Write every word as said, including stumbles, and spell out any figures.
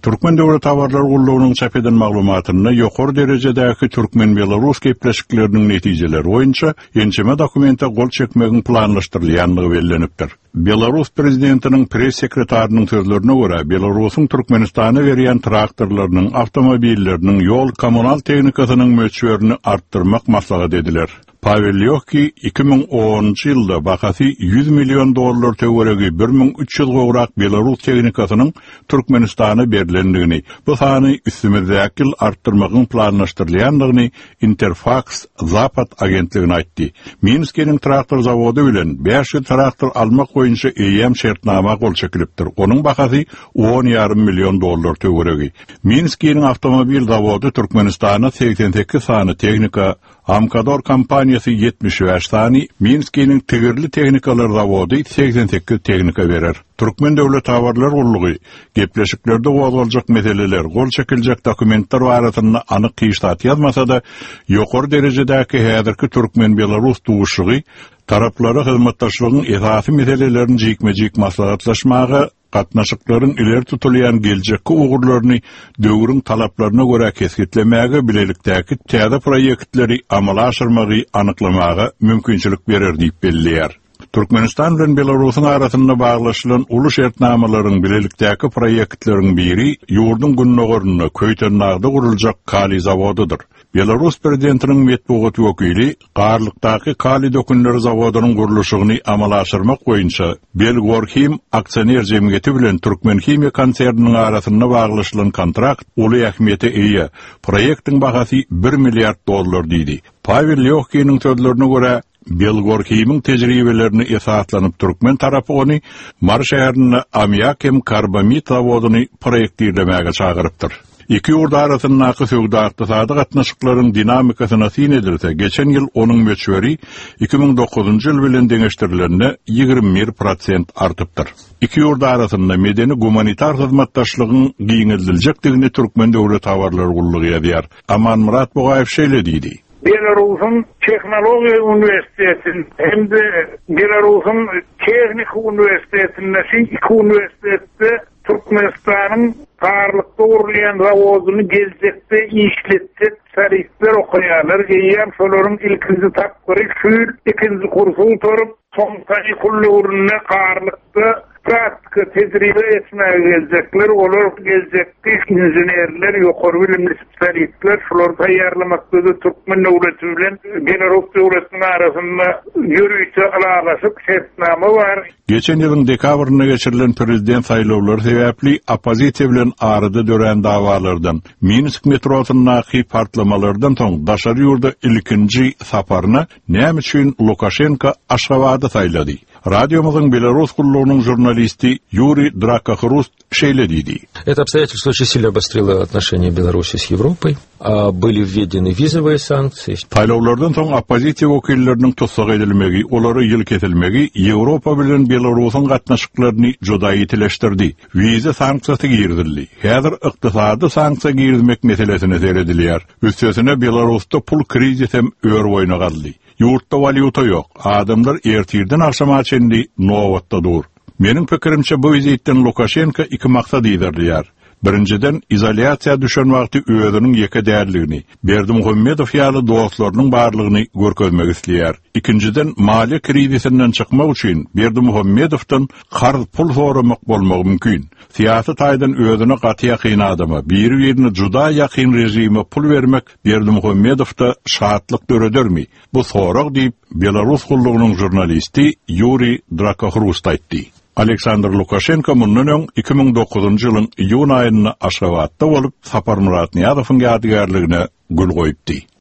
Türkmen döwlet habarlar gullugynyň çap eden maglumatynda ýokary derejedäki türkmen-belarus gepleşikleriniň netijeleri boýunça ençeme dokumente gol çekmegiň planlaşdyrylýandygy bellenipdir. Belarus prezidentiniň press sekretarynyň sözlerine görä, Belarusyň Türkmenistana berýän traktorlarynyň, awtomobilleriniň, ýol kommunal tehnikasynyň möçberini artdyrmak maslahat ediler. Pavel Lýohki iki müň onunjy ýylda bahasy ýüz million dollar töweregi bir müň üç ýüz gowrak belarus tehnikasynyň Türkmenistana berlendigini, bu sany üstümizdäki ýyl artdyrmagyň planlaşdyrylýandygyny Interfax Zapad agentligine aýtdy. Minskiniň traktor zawody bilen bäş ýüz traktor almak boýunça eýýäm şertnama gol çekilipdir. Onuň bahasy on ýarym million dollar töweregi. Minskiniň awtomobil zawody Türkmenistana segsen sekiz sany tehnika, Amkador kompaniýasy ýetmiş bäş sany, Minskiniň tigirli tehnikalar zawody segsen sekiz tehnika berer. Türkmen döwlet habarlar gullugy gepleşiklerde gozgaljak meseleler, gol çekiljek dokumentler barasynda anyk hiç zat ýazmasa-da, ýokary derejedäki häzirki türkmen-belarus duşuşygy taraplara hyzmatdaşlygyň esasy meselelerini jikme-jik maslahatlaşmaga, gatnaşyklaryň ileri tutulýan geljekki ugurlaryny döwrüň talaplaryna görä kesgitlemäge, bilelikdäki täze proýektleri amala aşyrmagy anyklamaga mümkinçilik berer diýip belleýär. Türkmenistan bilen Belarusyň arasynda baglaşylan uly şertnamalaryň bilelikdäki proýektleriň biri ýurduň gündogarynda Köýtendagda guruljak kaliý zawodydyr. Belarus prezidentiniň metbugat wekili Garlykdaky kaliý dökünleri zawodynyň gurluşygyny amala aşyrmak boýunça Belgorhim aksioner jemgyýeti bilen Türkmenhimiýa konserniniň arasynda baglaşylan kontrakt uly ähmiýete eýe. Proýektiň bahasy bir milliard dollar diýdi. Pavel Lýohkiniň sözlerine görä, Belgorhimiň tejribelerine esaslanyp türkmen tarapy ony Mary şäherinde ammiak hem karbamid zawodyny proýektirlemäge çagyrypdyr. Iki ýurt arasyndaky söwda-ykdysady gatnaşyklaryň dinamikasyna syn edilse, geçen ýyl onuň möçberi iki müň dokuzynjy ýyl bilen deňeşdirilende ýigrimi bir prosent artypdyr. Iki ýurt arasynda medeni-gumanitar hyzmatdaşlygyň giňeldiljekdigini Türkmen döwlet habarlar gullugy ýazýar. Amanmyrat Bugaýew şeýle diýdi. Belarusyň Tehnologiýa Uniwersitetinde hem de Belarusyň Tehniki Uniwersitetinde, şu iki uniwersitetde Türkmenistanyň Garlykda gurulýan zawodyny geljekde işletjek şerikler okaýarlar. Eýýäm şolaryň ilkinji tapgyry şu ýyl ikinji kursy gutaryp, soň kanikul döwründe Garlykda praktika tejribe etmäge geljekler. Olar geljekki inženerler, ýokary bilimli spesialistler, şulary taýýarlamakda Türkmen döwleti bilen Belarus döwletiniň arasynda ýörite ylalaşyk şertnama bar. Geçen ýylyň dekabrynda geçirilen prezident saýlawlary sebäpli oppozisiýa bilen arada dörän davalardan, Minsk metrosyndaky partlamalardan soň daşary ýurda ilkinji saparyna näme üçin Lukaşenko Aşgabady saýlady? Radiomyzyň Belarus gullugynyň žurnalisti Ýuri Drakohrust şeýle diýdi. Это обстоятельство очень сильно обострило отношения Беларуси с Европой. А были введены визовые санкции. Saýlawlardan soň oppozisiýa wekilleriniň tussag edilmegi, olary ýyl kesilmegi Ýewropa bilen Belarusyň gatnaşyklaryny juda ýitileşdirdi. Wiza sanksiýasy girizildi. Häzir ykdysady sanksiýa girizmek meselesine seredilýär. Üstesine Belarusda pul krizisi hem ör boýuna galdy. Ýurtda walýuta ýok. Adamlar ertirden agşama çenli nobatda dur. Meniň pikirimçe bu wizitden Lukaşenko iki maksat ýerleýär. Birinjiden izolýasiýa düşen wagty özüniň ýeke däldigini, Berdimuhamedow ýaly dostlarynyň barlygyny görkezmek isleýär. Ikinjiden maliýe krizisinden çykmak üçin Berdimuhamedowdan karz pul soramak bolmagy mümkin. Syýasy taýdan özüne gaty ýakyn adama, biri-birine juda ýakyn rejime pul bermek Berdimuhamedowda şatlyk döredermi? Bu sorag diýip Belarus gullugynyň žurnalisti Ýuri Drakohrust aýtdy. Aleksandr Lukaşenko mundan öň iki müň dokuzynjy ýylyň iýun aýynda Aşgabatda bolup Saparmyrat Nyýazowyň ýadygärligine gül goýupdy.